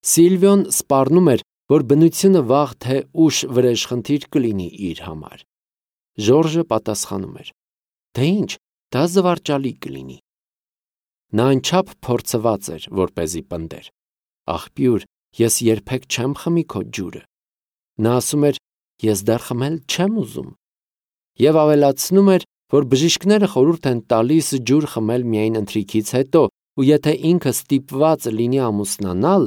Սիլվիոն սպառնում էր, որ բնությունը վաղ թե ուշ վրեժխնդիր կլինի իր համար։ Ժորժը պատասխանում էր. «Դե ինչ, դա զվարճալի կլինի»։ Նա անչափ փորձված էր, որպեսզի պնդեր. «Աղբյուր, ես երբեք չեմ խմի քո ջուրը»։ Նա ասում էր. «Ես դեռ խմել չեմ ուզում»։ Եվ ավելացնում էր, որ բժիշկները խորհուրդ են տալիս ջուր խմել միայն ընթրիքից հետո, ու եթե ինքը ստիպված լինի ամուսնանալ,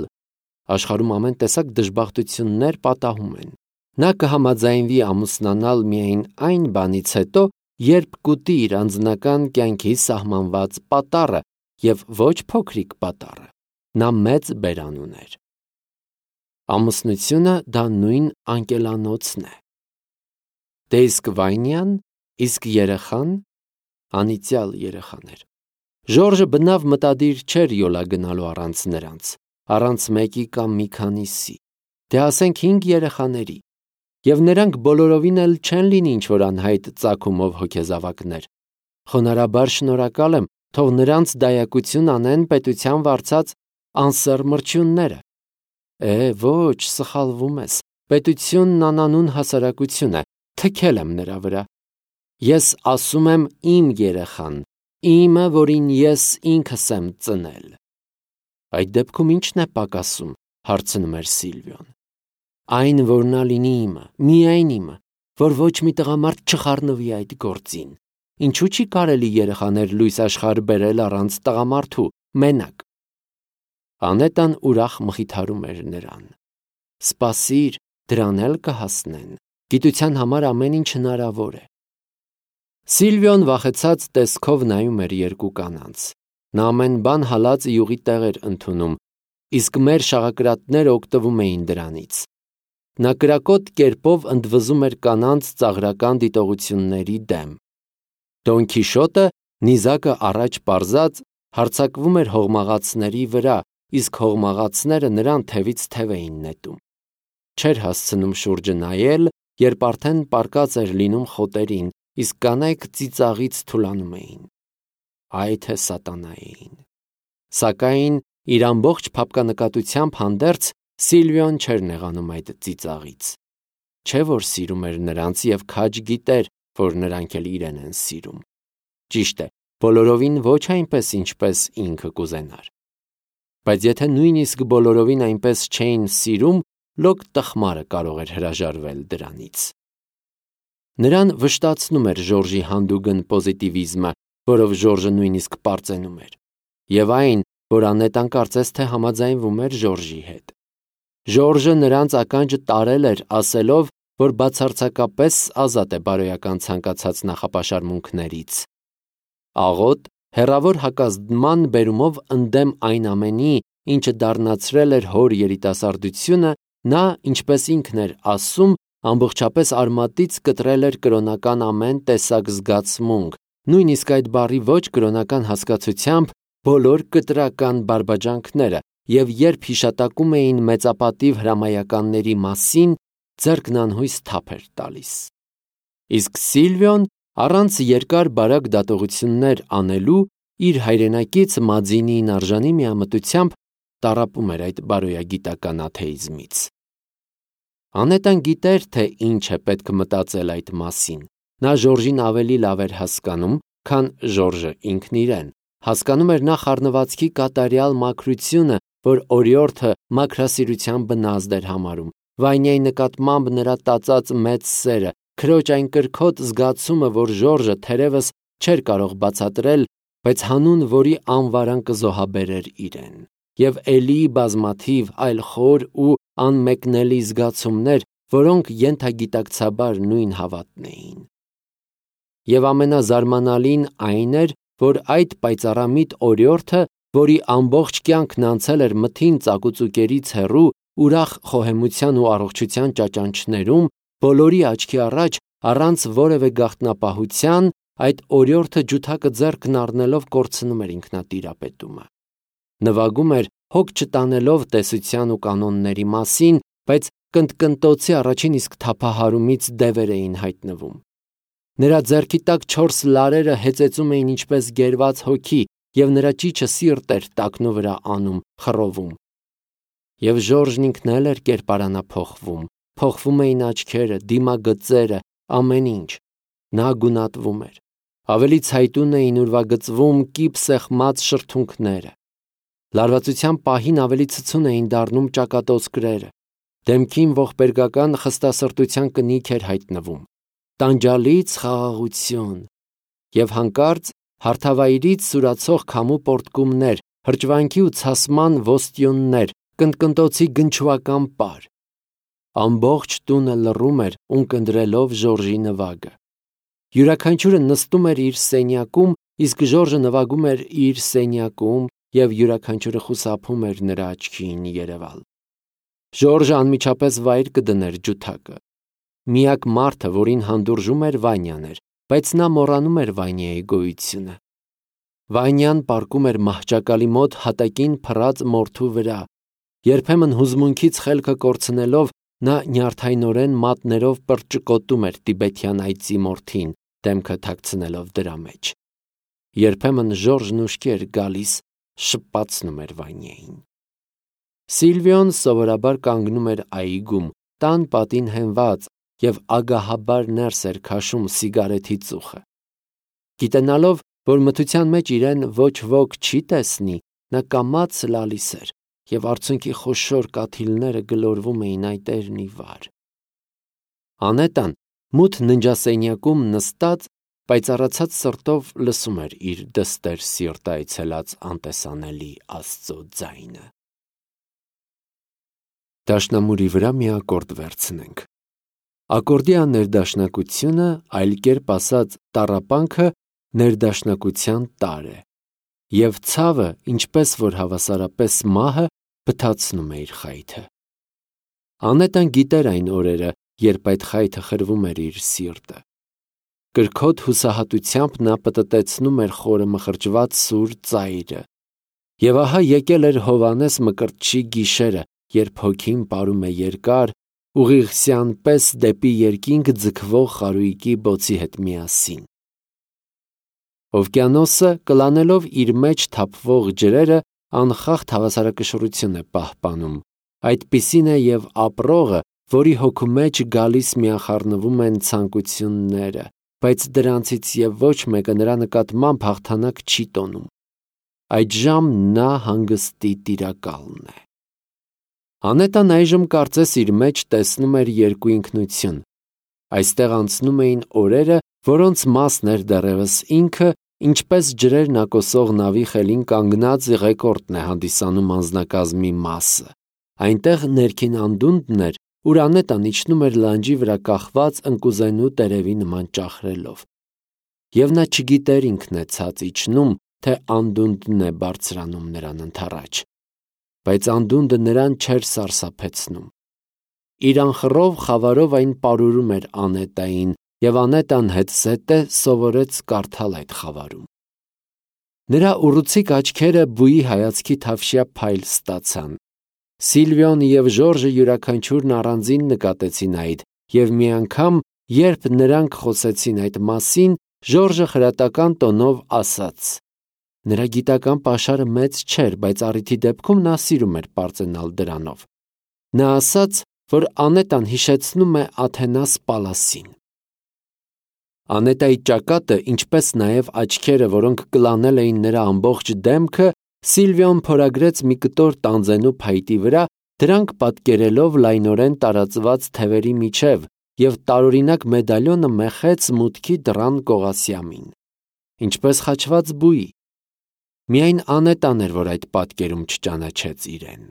աշխարհում ամեն տեսակ դժբախտություններ պատահում են։ Նա կհամաձայնվի ամուսնանալ միայն այն բանից հետո, երբ կուտի իր անձնական կյանքի սահմանված պատառը, և ոչ փոքրիկ պատառը։ Նա մեծ բերան ուներ։ Ամուսնությունը դա նույն անկելանոցն է։ Դե իսկ Վայնյան, իսկ երեխան, անիծյալ երեխաներ։ Ժորժը բնավ մտադիր չէր յոլա գնալու առանց նրանց, առանց մեկի կամ մի քանիսի, դե ասենք 5 երեխաների, և նրանք բոլորովին էլ չեն լինի ինչ-որ անհայտ ծագումով հոգեզավակներ։ Խոնարհաբար շնորհակալ եմ, թող նրանց դայակություն անեն պետության վարձած անսեռ-մրջյունները։ Ոչ, սխալվում ես, պետությունն անանուն հասարակություն է, թքել եմ նրա վրա։ Ես ասում եմ իմ երեխան, իմը, որին ես ինքս եմ ծնել։ Այդ դեպքում ի՞նչն է պակասում, հարցնում էր Սիլվիոն։ Այն, որ նա լինի իմը, միայն իմը, որ ոչ մի տղամարդ չխառնվի այդ գործին։ Ինչու՞ չի կարելի երեխաներ լույս աշխարհ բերել առանց տղամարդու, մենակ։ Անետան ուրախ մխիթարում էր նրան. Սպասիր, դրան էլ կհասնեն, գիտության համար ամեն ինչ հնարավոր է։ Սիլվիոն վախեցած տեսքով նայում էր երկու կանանց։ Նա ամեն բան հալած յուղի տեղ էր ընդունում, իսկ մեր շաղակրատները օգտվում էին դրանից։ Նա կրակոտ կերպով ընդվզում էր կանանց ծաղրական դիտողությունների դեմ։ Դոն Քիշոտը, նիզակը առաջ պարզած, հարձակվում էր հողմաղացների վրա, իսկ հողմաղացները նրան թևից թև էին նետում։ Չէր հասցնում շուրջը նայել, երբ արդեն պառկած էր լինում խոտերին, իսկ կանայք ծիծաղից թուլանում էին։ Այ թե սատանային։ Սակայն իր ամբողջ փափկանկատությամբ հանդերձ Սիլվիոն չէր նեղանում այդ ծիծաղից։ Չէ որ սիրում էր նրանց և քաջ գիտեր, որ նրանք էլ իրեն են սիրում։ Ճիշտ է, բոլորովին ոչ այնպես, ինչպես ինքը կուզենար։ Բայց եթե նույնիսկ բոլորովին այնպես չէին սիրում, լոկ տխմարը կարող էր հրաժարվել դրանից։ Նրան վշտացնում էր Ժորժի հանդուգն պոզիտիվիզմը, որով Ժորժը նույնիսկ պարծենում էր, և այն, որ Անետան կարծես թե համաձայնվում էր Ժորժի հետ։ Ժորժը նրանց ականջը տարել էր, ասելով, որ բացարձակապես ազատ է բարոյական ցանկացած նախապաշարմունքներից։ Աղոտ, հեռավոր հակազդման բերումով ընդդեմ այն ամենի, ինչը դառնացրել էր հոր երիտասարդությունը, նա, ինչպես ինքն էր ասում, ամբողջապես արմատից կտրել էր կրոնական ամեն տեսակ զգացմունք, նույնիսկ այդ բառի ոչ կրոնական հասկացությամբ բոլոր կտրական բարբաջանքները, և երբ հիշատակում էին մեծապատիվ հրամայականների մասին, ձեռքն անհույս թափ էր տալիս։ Իսկ Սիլվիոն, առանց երկար բարակ դատողություններ անելու, իր հայրենակից Մաձինիին արժանի միամտությամբ տառապում էր այդ բարոյագիտական աթեիզմից։ Անետան գիտեր, թե ինչ է պետք մտածել այդ մասին։ Նա Ժորժին ավելի լավ էր հասկանում, քան Ժորժը ինքն իրեն։ Հասկանում էր նա խառնվածքի կատարյալ մաքրությունը, որ օրիորդը մաքրասիրության բնազդ էր համարում, Վայնյայի նկատմամբ նրա տածած մեծ սերը, քրոջ այն կրքոտ զգացումը, որ Ժորժը թերևս չէր կարող բացատրել, բայց հանուն որի անվարան կզոհաբերեր իրեն, և էլի բազմաթիվ այլ խոր ու անմեկնելի զգացումներ, որոնք ենթագիտակցաբար նույն հավատն էին։ Եվ ամենազարմանալին այն էր, որ այդ պայծառամիտ օրիորդը, որի ամբողջ կյանքն անցել էր մթին ծակուծուկերից հեռու, ուրախ խոհեմության ու առողջության ճաճանչներում, բոլորի աչքի առաջ, առանց որևէ գաղտնապահության, այդ օրիորդը ջութակը ձեռքն առնելով կորցնում էր ինքնատիրապետումը։ Նվագում էր, հոգ չտանելով տեսության ու կանոնների մասին, բայց կնտկնտոցի առաջին իսկ թափահարումից դևեր էին հայտնվում։ Նրա ձեռքի տակ 4 լարերը հեծեծում էին ինչպես գերված հոգի, և նրա ճիչը սիրտ էր տակնու վրա անում, խռովում։ Եվ Ժորժն ինքն էլ էր կերպարանափոխվում, փոխվում էին աչքերը, դիմագծերը, ամեն ինչ։ Նա գունատվում էր։ Ավելի ցայտուն էին ուրվագծվում կիպ սեղմած շրթունքները։ Լարվածության պահին ավելի ցցուն էին դառնում ճակատոցկրերը։ Դեմքին ողբերգական խստասրտության կնիք էր հայտնվում, տանջալից խաղաղություն և հանկարծ հարթավայրից սուրացող քամու պոռթկումներ, հրճվանքի ու ցասման ոստյոններ, կնտկնտոցի գնչուական պար։ Ամբողջ տունը լռում էր ունկնդրելով Ժորժի նվագը։ Յուրաքանչյուրը նստում էր իր սենյակում, իսկ Ժորժը նվագում էր իր սենյակում, և յուրաքանչյուրը խուսափում էր նրա աչքին երևալ։ Ժորժը անմիջապես վայր կդներ ջութակը։ Միակ մարդը, որին հանդուրժում էր, Վանյան էր, բայց նա մոռանում էր Վանյայի գոյությունը։ Վանյան պառկում էր մահճակալի մոտ հատակին փռած մորթու վրա։ Երբեմն հուզմունքից խելքը կորցնելով, նա նյարդայնորեն մատներով պրճկոտում էր տիբեթյան այծի մորթին, դեմքը թաքցնելով դրա մեջ։ Երբեմն Ժորժն ուշքի էր գալիս, շպացնում էր Վանյային։ Սիլվիոն սովորաբար կանգնում էր այգում, տան պատին հենված և ագահաբար ներս էր քաշում սիգարեթի ծուխը։ Գիտենալով, որ մթության մեջ իրեն ոչ ոք չի տեսնի, նա կամաց լալիս էր, և արցունքի խոշոր կաթիլները գլորվում էին այտերն ի վար։ Անետան մութ ննջասենյակում նստած, պայծառացած սրտով լսում էր իր դստեր սիրտը այցելած անտեսանելի Աստծո ձայնը։ Դաշնամուրի վրա մի ակորդ վերցնենք։ Ակորդի աներդաշնակությունը, այլ կերպ ասած տառապանքը, ներդաշնակության տարր է, և ցավը, ինչպես որ հավասարապես մահը, բթացնում է իր խայթը։ Անետան գիտեր այն օրերը, երբ այդ խայթը խրվում էր իր սիրտը։ Կրքոտ հուսահատությամբ նա պտտեցնում էր խորը մխրճված սուր ծայրը։ Եվ ահա եկել էր Հովհաննես Մկրտչի գիշերը, երբ հոգին պարում է երկար, ուղիղսյան պես դեպի երկինք ձգվող խարույկի բոցի հետ միասին։ Օվկիանոսը, կլանելով իր մեջ թափվող ջրերը, անխախտ հավասարակշռություն է պահպանում։ Այդպիսին է և ապրողը, որի հոգու մեջ գալիս միախառնվում են ցանկությունները, բայց դրանցից և ոչ մեկը նրա նկատմամբ հաղթանակ չի տոնում։ Այդժամ նա հանգստի տիրակալն է։ Անետան այժմ կարծես իր մեջ տեսնում էր երկու ինքնություն։ Այստեղ անցնում էին օրերը, որոնց մասն էր դեռևս ինքը, ինչպես ջրերն ակոսող նավի խելին կանգնած ղեկորդն է հանդիսանում անձնակազմի մասը։ Այնտեղ ներքին անդունդն էր, ուր Անետան իջնում էր լանջի վրա կախված ընկուզենու տերևի նման ճախրելով։ Եվ նա չգիտեր ինքն է ցած իջնում, թե անդունդն է բարձրանում նրան ընդառաջ։ Բայց անդունդը նրան չէր սարսափեցնում։ Իր անխռով խավարով այն պարուրում էր Անետային, և Անետան հետզհետե սովորեց կարդալ այդ խավարում։ Նրա ուռուցիկ աչքերը բույի հայացքի թավշյա փայլ ստացան։ Սիլվիոն և Ժորժը յուրաքանչյուրն առանձին նկատեցին այդ, և մի անգամ, երբ նրանք խոսեցին այդ մասին, Ժորժը խրատական տոնով ասաց. նրա գիտական պաշարը մեծ չէր, բայց առիթի դեպքում նա սիրում էր պարծենալ դրանով։ Նա ասաց, որ Անետան հիշեցնում է Աթենաս Պալասին։ Անետայի ճակատը, ինչպես նաև աչքերը, որոնք կլանել էին նրա ամբողջ դեմքը, Սիլվիոն փորագրեց մի կտոր տանձենու փայտի վրա, դրանք պատկերելով լայնորեն տարածված թևերի միջև, և տարօրինակ մեդալյոնը մեխեց մուտքի դռան կողասյամին, ինչպես խաչված բույի։ Միայն Անետան էր, որ այդ պատկերում չճանաչեց իրեն։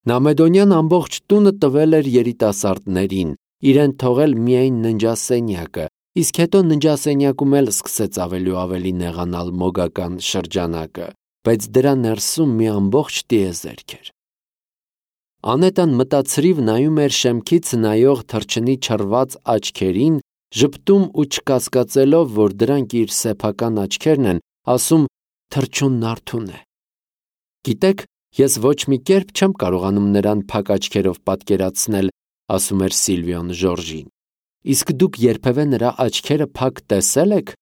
Նա Մեդոնյան ամբողջ տունը տվել էր երիտասարդներին, իրեն թողել միայն ննջասենյակը, իսկ հետո ննջասենյակում էլ սկսեց ավելի ու ավելի նեղանալ մոգական շրջանակը, բայց դրա ներսում մի ամբողջ տիեզերք էր։ Անետան մտածրիվ նայում էր շեմքից նայող թռչնի չռված աչքերին, ժպտում ու չկասկածելով, որ դրանք իր սեփական աչքերն են, ասում թռչունն արթուն է։ Գիտեք, ես ոչ մի կերպ չեմ կարողանում նրան փակ աչքերով պատկերացնել, ասում էր Սիլվիոն Ժորժին։ Իսկ դուք երբևէ նրա աչքերը փակ տեսել եք։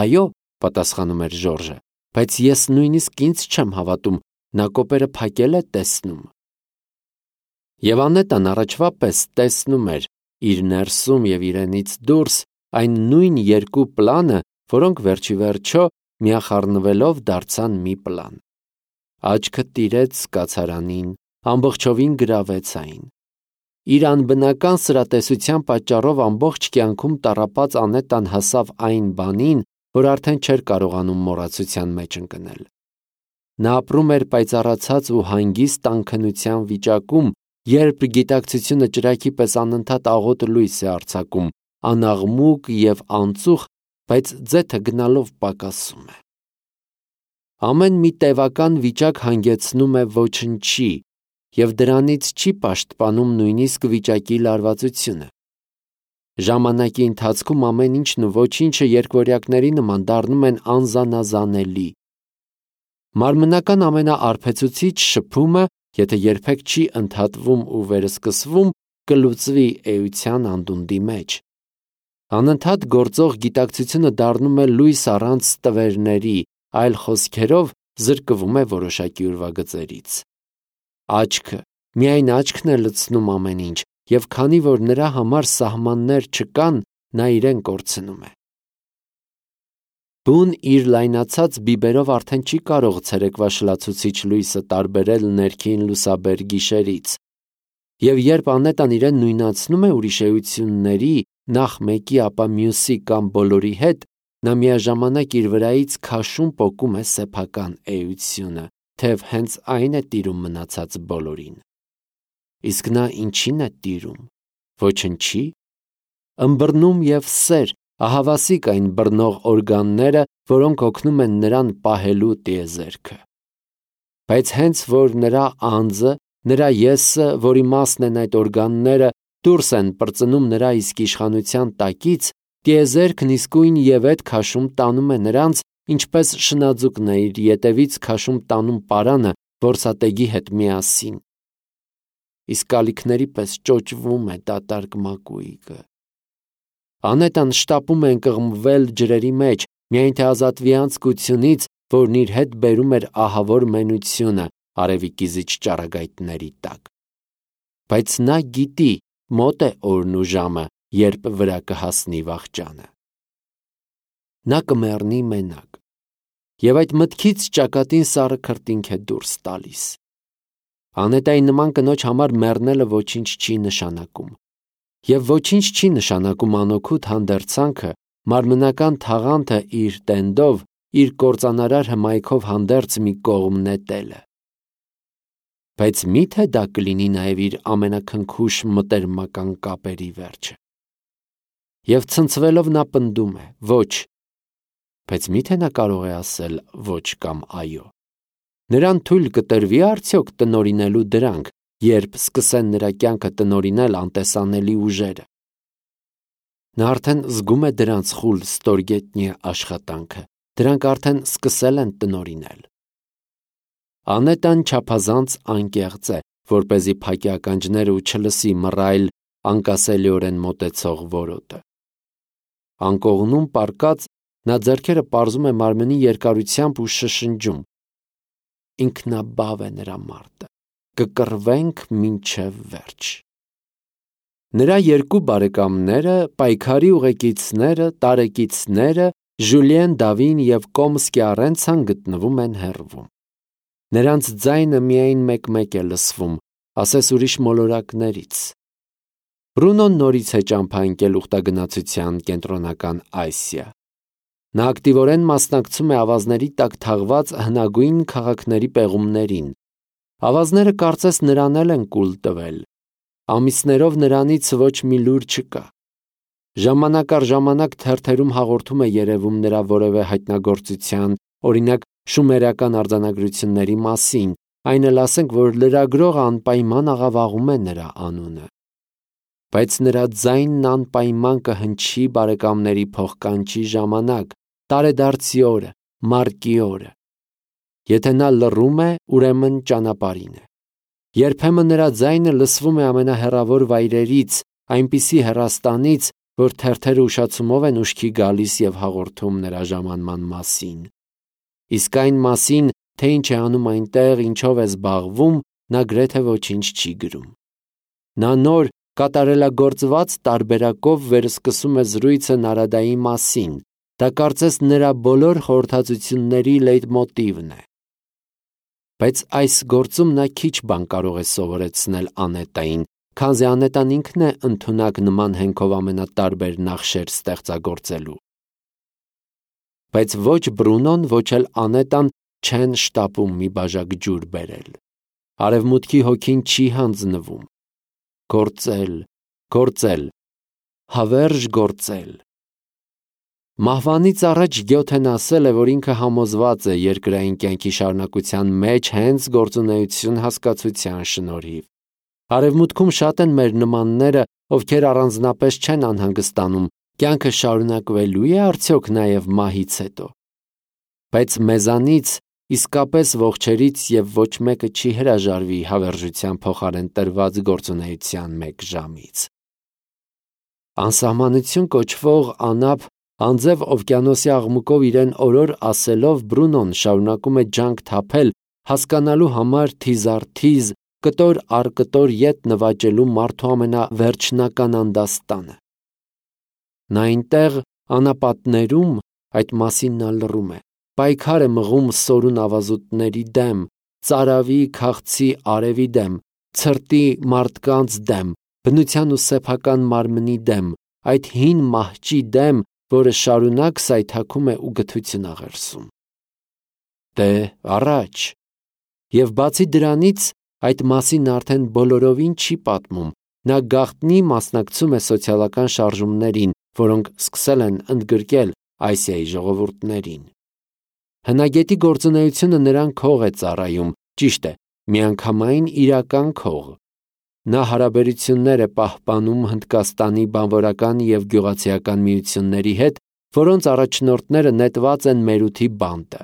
Այո, պատասխանում էր Ժորժը, բայց ես նույնիսկ ինձ չեմ հավատում, նա կոպերը փակել է տեսնում։ Եվ Անետան առաջվա պես տեսնում էր իր ներսում եւ իրենից դուրս այն նույն երկու պլանը, որոնք վերջի վերջո միախառնվելով դարձան մի պլան։ Աչքը տիրեց կացարանին, ամբողջովին գրավեց այն։ Իր անբնական սրատեսության պատճառով ամբողջ կյանքում տառապած Անետան հասավ այն բանին, որ արդեն չէր կարողանում մոռացության մեջ ընկնել։ Նա ապրում էր պայծառացած ու հանգիստ անքնության վիճակում, երբ գիտակցությունը ճրագի պես անընդհատ աղոտ լույս է արձակում, անաղմուկ եւ անծուխ, բայց ձեթը գնալով պակասում է։ Ամեն մի տևական վիճակ հանգեցնում է ոչնչի, եւ դրանից չի պաշտպանում նույնիսկ վիճակի լարվածությունը։ Ժամանակի ընթացքում ամեն ինչն ու ոչինչը երկվորյակների նման դառնում են անզանազանելի։ Մարմնական ամենաարբեցուցիչ շփումը, եթե երբեք չի ընդհատվում ու վերսկսվում, կլուծվի էության անդունդի մեջ։ Անընդհատ գործող գիտակցությունը դառնում է լույս առանց տվերների, այլ խոսքերով զրկվում է որոշակի ուրվագծերից։ Աչքը, միայն աչքն է լցնում ամեն ինչ, եւ քանի որ նրա համար սահմաններ չկան, նա իրեն կորցնում է։ Բուն իր լայնացած բիբերով արդեն չի կարող ցերեկվա շլացուցիչ լույսը տարբերել ներքին լուսաբեր գիշերից, եւ երբ Անետան իրեն նույնացնում է ուրիշ էությունների, նախ մեկի, ապա մյուսի կամ բոլորի հետ, նա միաժամանակ իր վրայից քաշում պոկում է սեփական էությունը, թեև հենց այն է տիրում մնացած բոլորին։ Իսկ նա ինչին է տիրում։ Ոչնչի։ Ըմբռնում եւ սեր, ահավասիկ այն բռնող օրգանները, որոնք օգնում են նրան պահելու տիեզերքը։ Բայց հենց որ նրա անձը, նրա եսը, որի մասն են այդ օրգանները, դուրս են պրծնում նրա իսկ իշխանության տակից, տիեզերքն իսկույն եւ այդ քաշում տանում է նրանց, ինչպես շնաձուկն է իր ետևից քաշում տանում պարանը որսատեգի հետ միասին։ Իսկ ալիքների պես ճոճվում է դատարկ մակույկը։ Անետան շտապում է ընկղմվել ջրերի մեջ, միայն թե ազատվի անձկությունից, որն իր հետ բերում էր ահավոր մենությունը արևի կիզիչ ճառագայթների տակ։ Բայց նա գիտի, մոտ է օրն ու ժամը, երբ վրա կհասնի վախճանը։ Նա կմեռնի մենակ, եւ այդ մտքից ճակատին սառը քրտինք է դուրս տալիս։ Անետայի նման կնոջ համար մեռնելը ոչինչ չի նշանակում, եւ ոչինչ չի նշանակում անօգուտ հանդերձանքը, մարմնական թաղանթը իր տենդով, իր կործանարար հմայքով հանդերձ մի կողմ նետելը։ Բայց մի՞թե դա կլինի նաև իր ամենաքնքուշ մտերմական կապերի վերջը։ Եվ ցնցվելով նա պնդում է. ոչ, բայց մի՞թե նա կարող է ասել ոչ կամ այո։ Նրան թույլ կտրվի արդյոք տնօրինելու դրանք, երբ սկսեն նրա կյանքը տնօրինել անտեսանելի ուժերը։ Նա արդեն զգում է դրանց խուլ ստորգետնյա աշխատանքը, դրանք արդեն սկսել են տնօրինել։ Անետան չափազանց անկեղծ է, որպեսզի փակի ականջները ու չլսի մռայլ անկասելիորեն մոտեցող որոտը։ Անկողնում պառկած նա ձեռքերը պարզում է մարմնի երկարությամբ ու շշնջում. ինքնաբավ է նրա մարտը, կկռվենք մինչև վերջ։ Նրա երկու բարեկամները, պայքարի ուղեկիցները, տարեկիցները, Ժուլիեն Դավին և Կոմսկի Առենցան գտնվում են հեռվում։ Նրանց ձայնը միայն մեկ-մեկ է լսվում, ասես ուրիշ մոլորակներից։ Բրունոն նորից է ճամփա ընկել ուխտագնացության կենտրոնական Ասիա։ Նա ակտիվորեն մասնակցում է ավազների տակ թաղված հնագույն քաղաքների պեղումներին։ Ավազները կարծես նրան էլ են կուլ տվել։ Ամիսներով նրանից ոչ մի լուր չկա։ Ժամանակ առ ժամանակ թերթերում հաղորդում է երևում նրա որևէ հայտնագործության, օրինակ շումերական արձանագրությունների մասին, այն էլ ասենք, որ լրագրողը անպայման աղավաղում է նրա անունը։ Բայց նրա ձայնն անպայման կհնչի բարեկամների փոխկանչի ժամանակ, տարեդարձի օրը, մարտի օրը։ Եթե նա լռում է, ուրեմն ճանապարհին է։ Երբեմն նրա ձայնը լսվում է ամենահեռավոր վայրերից, այնպիսի հեռաստանից, որ թերթերը ուշացումով են ուշքի գալիս եւ հաղորդում նրա ժամանման մասին։ Իսկ այն մասին, թե ինչ է անում այնտեղ, ինչով է զբաղվում, նա գրեթե ոչինչ չի գրում։ Նա նոր կատարելագործված տարբերակով վերսկսում է զրույցը Նարադայի մասին, դա կարծես նրա բոլոր խորհրդածությունների լեյտմոտիվն է։ Բայց այս գործում նա քիչ բան կարող է սովորեցնել Անետային, քանզի Անետան ինքն է ընդունակ նման հենքով ամենատարբեր նախշեր ստեղծագործելու։ Բայց ոչ Բրունոն, ոչ էլ Անետան չեն շտապում մի բաժակ ջուր բերել։ Արևմուտքի հոգին չի հանձնվում։ Գործել, գործել, հավերժ գործել։ Մահվանից առաջ Գյոթեն ասել է, որ ինքը համոզված է երկրային կյանքի շարունակության մեջ հենց գործունեություն հասկացության շնորհիվ։ Արևմուտքում շատ են մեր նմանները, ովքեր առանձնապես չեն անհանգստանում, կյանքը շարունակվելու է արդյոք նաև մահից հետո։ Բայց մեզանից իսկապես ողջերից եւ ոչ մեկը չի հրաժարվի հավերժության փոխարեն տրված գործունեության 1 ժամից։ Անսահմանություն կոչվող անապ անձև օվկիանոսի աղմուկով իրեն օրոր ասելով Բրունոն շարունակում է ջանք թափել հասկանալու համար թիզ առ թիզ, կտոր առ կտոր ետ նվաճելու մարդու ամենավերջնական անդաստանը։ Նա այնտեղ անապատներում, այդ մասին նա լռում է, պայքար է մղում սորուն ավազուտների դեմ, ծարավի քաղցի արևի դեմ, ցրտի մարդկանց դեմ, բնության ու սեփական մարմնի դեմ, այդ հին մահճի դեմ, որը շարունակ սայթաքում է ու գթություն աղերսում։ Դե առաջ։ Եվ բացի դրանից, այդ մասին արդեն բոլորովին չի պատմում, նա գաղտնի մասնակցում է սոցիալական շարժումներին, որոնք սկսել են ընդգրկել Ասիայի ժողովուրդներին։ Հնագետի գործունեությունը նրան քող է ծառայում, ճիշտ է, միանգամայն իրական քող։ Նա հարաբերություններ է պահպանում Հնդկաստանի բանվորական և գյուղացիական միությունների հետ, որոնց առաջնորդները նետված են մերութի բանտը։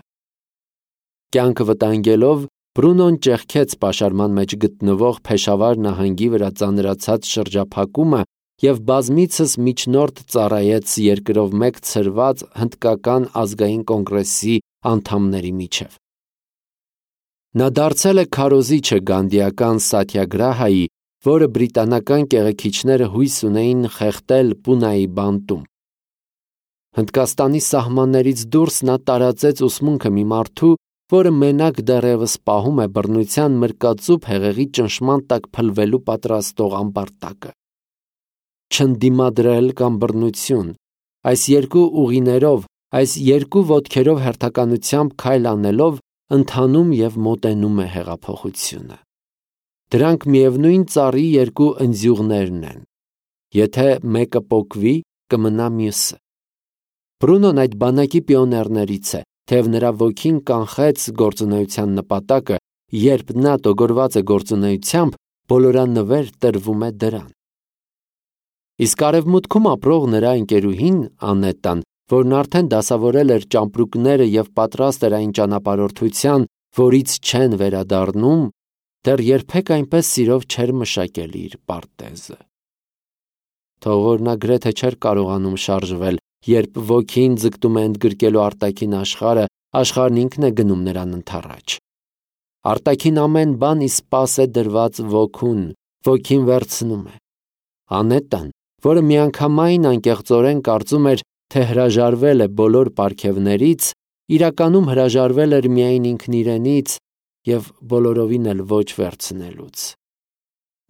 Կյանքը վտանգելով, Բրունոն ճեղքեց պաշարման մեջ գտնվող Փեշավար նահանգի վրա ծանրացած շրջափակումը և բազմիցս միջնորդ ծառայեց երկրով մեկ ցրված հնդկական ազգային կոնգրեսի անդամների միջև։ Նա դարձել է քարոզիչը գանդիական Սաթյագրահայի, որը բրիտանական կեղեքիչները հույս ունեին խեղդել Պունայի բանտում։ Հնդկաստանի սահմաններից դուրս նա տարածեց ուսմունքը մի մարդու, որը մենակ դեռևս պահում է բռնության մրկածուփ հեղեղի ճնշման տակ փլվելու պատրաստող ամբարտակը։ Չընդդիմադրել կամ բռնություն, այս երկու ուղիներով, այս երկու ոտքերով հերթականությամբ քայլ անելով ընթանում և մոտենում է հեղափոխությունը։ Դրանք միևնույն ծառի երկու ընձյուղներն են։ Եթե մեկը պոկվի, կմնա մյուսը։ Բրունոն այդ բանակի պիոներներից է, թեև նրա ոգին կանխեց գործունեության նպատակը, երբ նա տոգորված է գործունեությամբ, բոլորանվեր տրվում է դրան։ Իսկ արևմուտքում ապրող նրա ընկերուհին Անետան, որն արդեն դասավորել էր ճամպրուկները և պատրաստ էր այն ճանապարհորդության, որից չեն վերադառնում, դեռ երբեք այնպես սիրով չէր մշակել իր պարտեզը։ Թող որ նա գրեթե չէր կարողանում շարժվել, երբ ոգին ձգտում է ընդգրկելու արտաքին աշխարհը, աշխարհն ինքն է գնում նրան ընդառաջ։ Արտաքին ամեն բան ի սպաս է դրված ոգուն, ոգին վերցնում է։ Անետան, որը միանգամայն անկեղծորեն կարծում էր, թե հրաժարվել է բոլոր պարգևներից, իրականում հրաժարվել էր միայն ինքն իրենից և բոլորովին էլ ոչ վերցնելուց։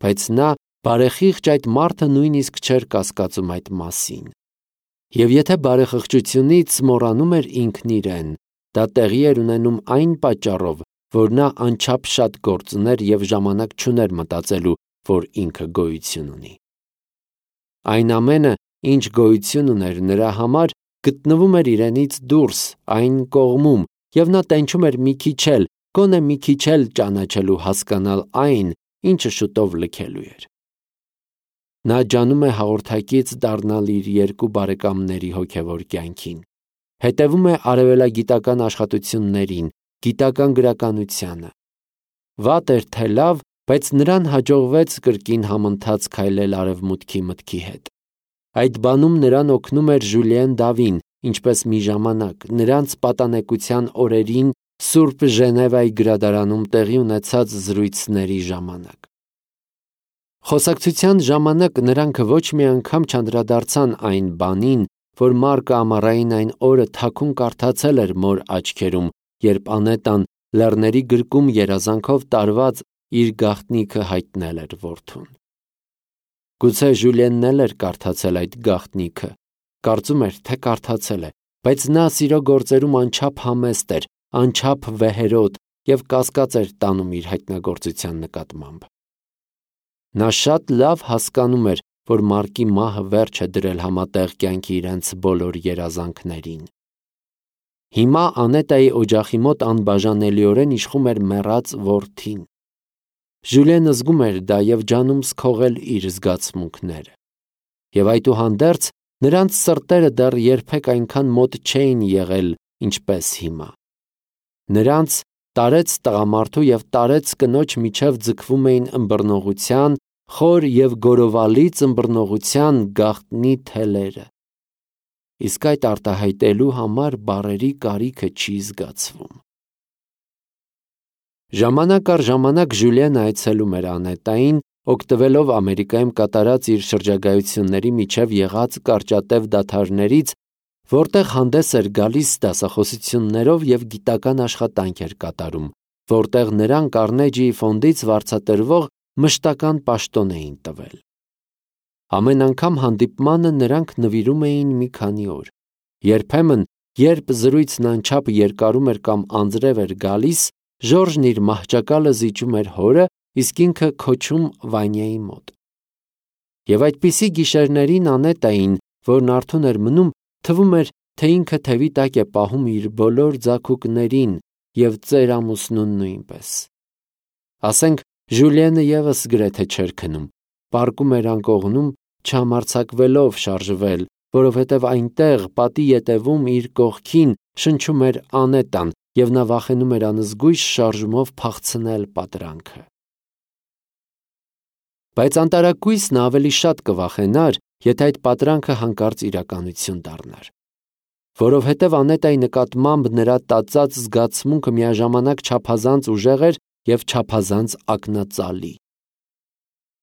Բայց նա բարեխիղճ այդ մարդը նույնիսկ չէր կասկածում այդ մասին։ Եվ եթե բարեխղճությունից մոռանում էր ինքն իրեն, դա տեղի էր ունենում այն պատճառով, որ նա անչափ շատ գործ ուներ և ժամանակ չուներ մտածելու, որ ինքը գոյություն ունի։ Այն ամենը, ինչ գոյություն ուներ նրա համար, գտնվում էր իրենից դուրս, այն կողմում, և նա տենչում էր մի քիչ էլ, գոնե մի քիչ էլ ճանաչելու հասկանալ այն, ինչը շուտով լքելու էր։ Նա ջանում է հաղորդակից դառնալ իր երկու բարեկամների հոգևոր կյանքին, հետևում է արևելագիտական աշխատություններին, գիտական գրականությանը։ Վատ էր թե լավ, բայց նրան հաջողվեց կրկին համընթաց քայլել արևմուտքի մտքի հետ։ Այդ բանում նրան օգնում էր Ժուլիեն Դավին, ինչպես մի ժամանակ, նրանց պատանեկության օրերին Սուրբ Ժենևայի գրադարանում տեղի ունեցած զրույցների ժամանակ։ Խոսակցության ժամանակ նրանք ոչ մի անգամ չանդրադարձան այն բանին, որ Մարկը ամառային այն օրը թաքուն կարդացել էր մոր աչքերում, երբ Անետան լեռների գրկում երազանքով տարված իր գաղտնիքը հայտնել էր որդուն։ Գուցե Ժուլիենն էլ էր կարդացել այդ գաղտնիքը, կարծում էր, թե կարդացել է, բայց նա սիրո գործերում անչափ համեստ էր, անչափ վեհերոտ և կասկած էր տանում իր հայտնագործության նկատմամբ։ Նա շատ լավ հասկանում էր, որ Մարկի մահը վերջ է դրել համատեղ կյանքի իրենց բոլոր երազանքներին։ Հիմա Անետայի օջախի մոտ անբաժանելիորեն իշխում էր մեռած որդին։ Ժուլիենը զգում էր դա և ջանում սքողել իր զգացմունքները։ Եվ այդուհանդերձ նրանց սրտերը դեռ երբեք այնքան մոտ չէին եղել, ինչպես հիմա։ Նրանց տարեց տղամարդու և տարեց կնոջ միջև ձգվում էին ըմբռնողության, խոր և գորովալից ըմբռնողության գաղտնի թելերը։ Իսկ այդ արտահայտելու համար բառերի կարիքը չի զգացվում։ Ժամանակ առ ժամանակ Ժուլիենը այցելում էր Անետային, օգտվելով Ամերիկայում կատարած իր շրջագայությունների միջև եղած կարճատև դադարներից, որտեղ հանդես էր գալիս դասախոսություններով և գիտական աշխատանք էր կատարում, որտեղ նրան Կարնեջիի ֆոնդից վարձատրվող մշտական պաշտոն էին տվել։ Ամեն անգամ հանդիպմանը նրանք նվիրում էին մի քանի օր։ Երբեմն, երբ զրույցն անչափ երկարում էր կամ անձրև էր գալիս, Ժորժն իր մահճակալը զիջում էր հորը, իսկ ինքը քոչում Վանյայի մոտ։ Եվ այդպիսի գիշերներին Անետային, որն արթուն էր մնում, թվում էր, թե ինքը թևի տակ է պահում իր բոլոր ձագուկներին և ծեր ամուսնուն նույնպես։ Ասենք, Ժուլիենը ևս գրեթե չէր քնում, պառկում էր անկողնում, չհամարձակվելով շարժվել, որովհետև այնտեղ, պատի ետևում իր կողքին, շնչում էր Անետան, և նա վախենում էր անզգույշ շարժումով փախցնել պատրանքը։ Բայց անտարակույսն ավելի շատ կվախենար, եթե այդ պատրանքը հանկարծ իրականություն դառնար։ Որովհետև Անետայի նկատմամբ նրա տածած զգացմունքը միաժամանակ չափազանց ուժեղ էր և չափազանց ակնածալի։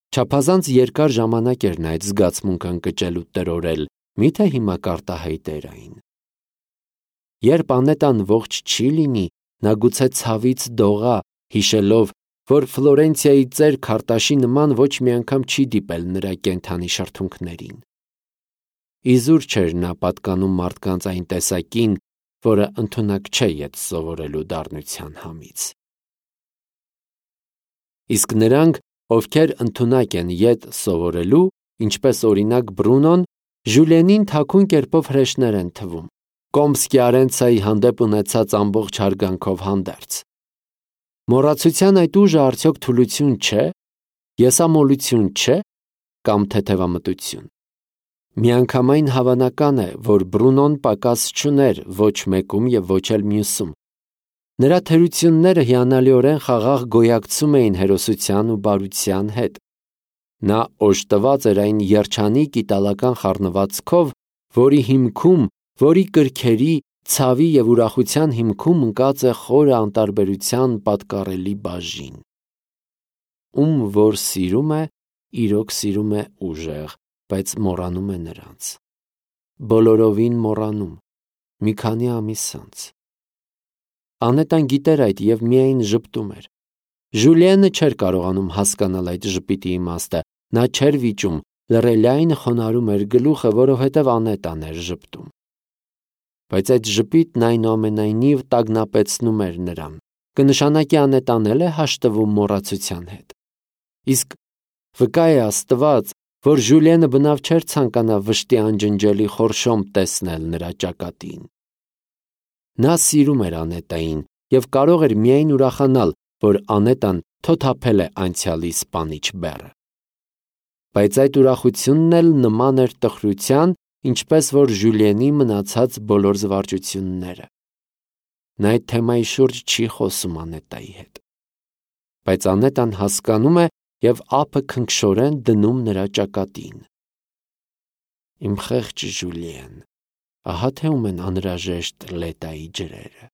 Չափազանց երկար ժամանակ էր նա այդ զգացմունքը ընկճել ու տրորել, միթե հիմա կարտահայտեր այն։ Երբ Անետան ողջ չի լինի, նա գուցե ցավից դողա, հիշելով, որ Ֆլորենցիայի ծեր Քարտաշի նման ոչ մի անգամ չի դիպել նրա կենդանի շրթունքներին։ Իզուր չէր նա պատկանում մարդկանց այն տեսակին, որը ընդունակ չէ ետ սովորելու դառնության համից։ Իսկ նրանք, ովքեր ընդունակ են ետ սովորելու, ինչպես օրինակ Բրունոն, Ժուլիենին թաքուն կերպով հրեշներ են թվում, Կոմսկի Արենցայի հանդեպ ունեցած ամբողջ հարգանքով հանդերձ։ Մոռացության այդ ուժը արդյոք թուլություն չէ, եսամոլություն չէ, կամ թեթևամտություն։ Միանգամայն հավանական է, որ Բրունոն պակաս չուներ ոչ մեկում և ոչ էլ մյուսում։ Նրա թերությունները հիանալիորեն խաղաղ գոյակցում էին հերոսության ու բարության հետ։ Նա օժտված էր այն երջանիկ իտալական խառնվածքով, որի հիմքում, որի կրքերի, ցավի և ուրախության հիմքում ընկած է խորը անտարբերության պատկառելի բաժին։ Ում որ սիրում է, իրոք սիրում է ուժեղ, բայց մոռանում է նրանց։ Բոլորովին մոռանում, մի քանի ամիս անց։ Անետան գիտեր այդ և միայն ժպտում էր։ Ժուլիենը չէր կարողանում հասկանալ այդ ժպիտի իմաստը, նա չէր վիճում, լռելիայն խոնարհում էր գլուխը, որովհետև Անետան էր ժպտում։ Բայց այդ ժպիտն այնուամենայնիվ տագնապեցնում էր նրան, կնշանակի Անետան էլ է հաշտվում մոռացության հետ։ Իսկ վկա է Աստված, որ Ժուլիենը բնավ չէր ցանկանա վշտի անջնջելի խորշոմ տեսնել նրա ճակատին։ Նա սիրում էր Անետային և կարող էր միայն ուրախանալ, որ Անետան թոթափել է անցյալի սպանիչ բեռը։ Բայց այդ ուրախությունն էլ նման էր տխրության, ինչպես որ Ժուլիենի մնացած բոլոր զվարճությունները։ Նա այդ թեմայի շուրջ չի խոսում Անետայի հետ։ Բայց Անետան հասկանում է և ափը քնքշորեն դնում նրա ճակատին։ Իմ խեղճ Ժուլիեն, ահա թե ում են անհրաժեշտ Լետայի ջրերը։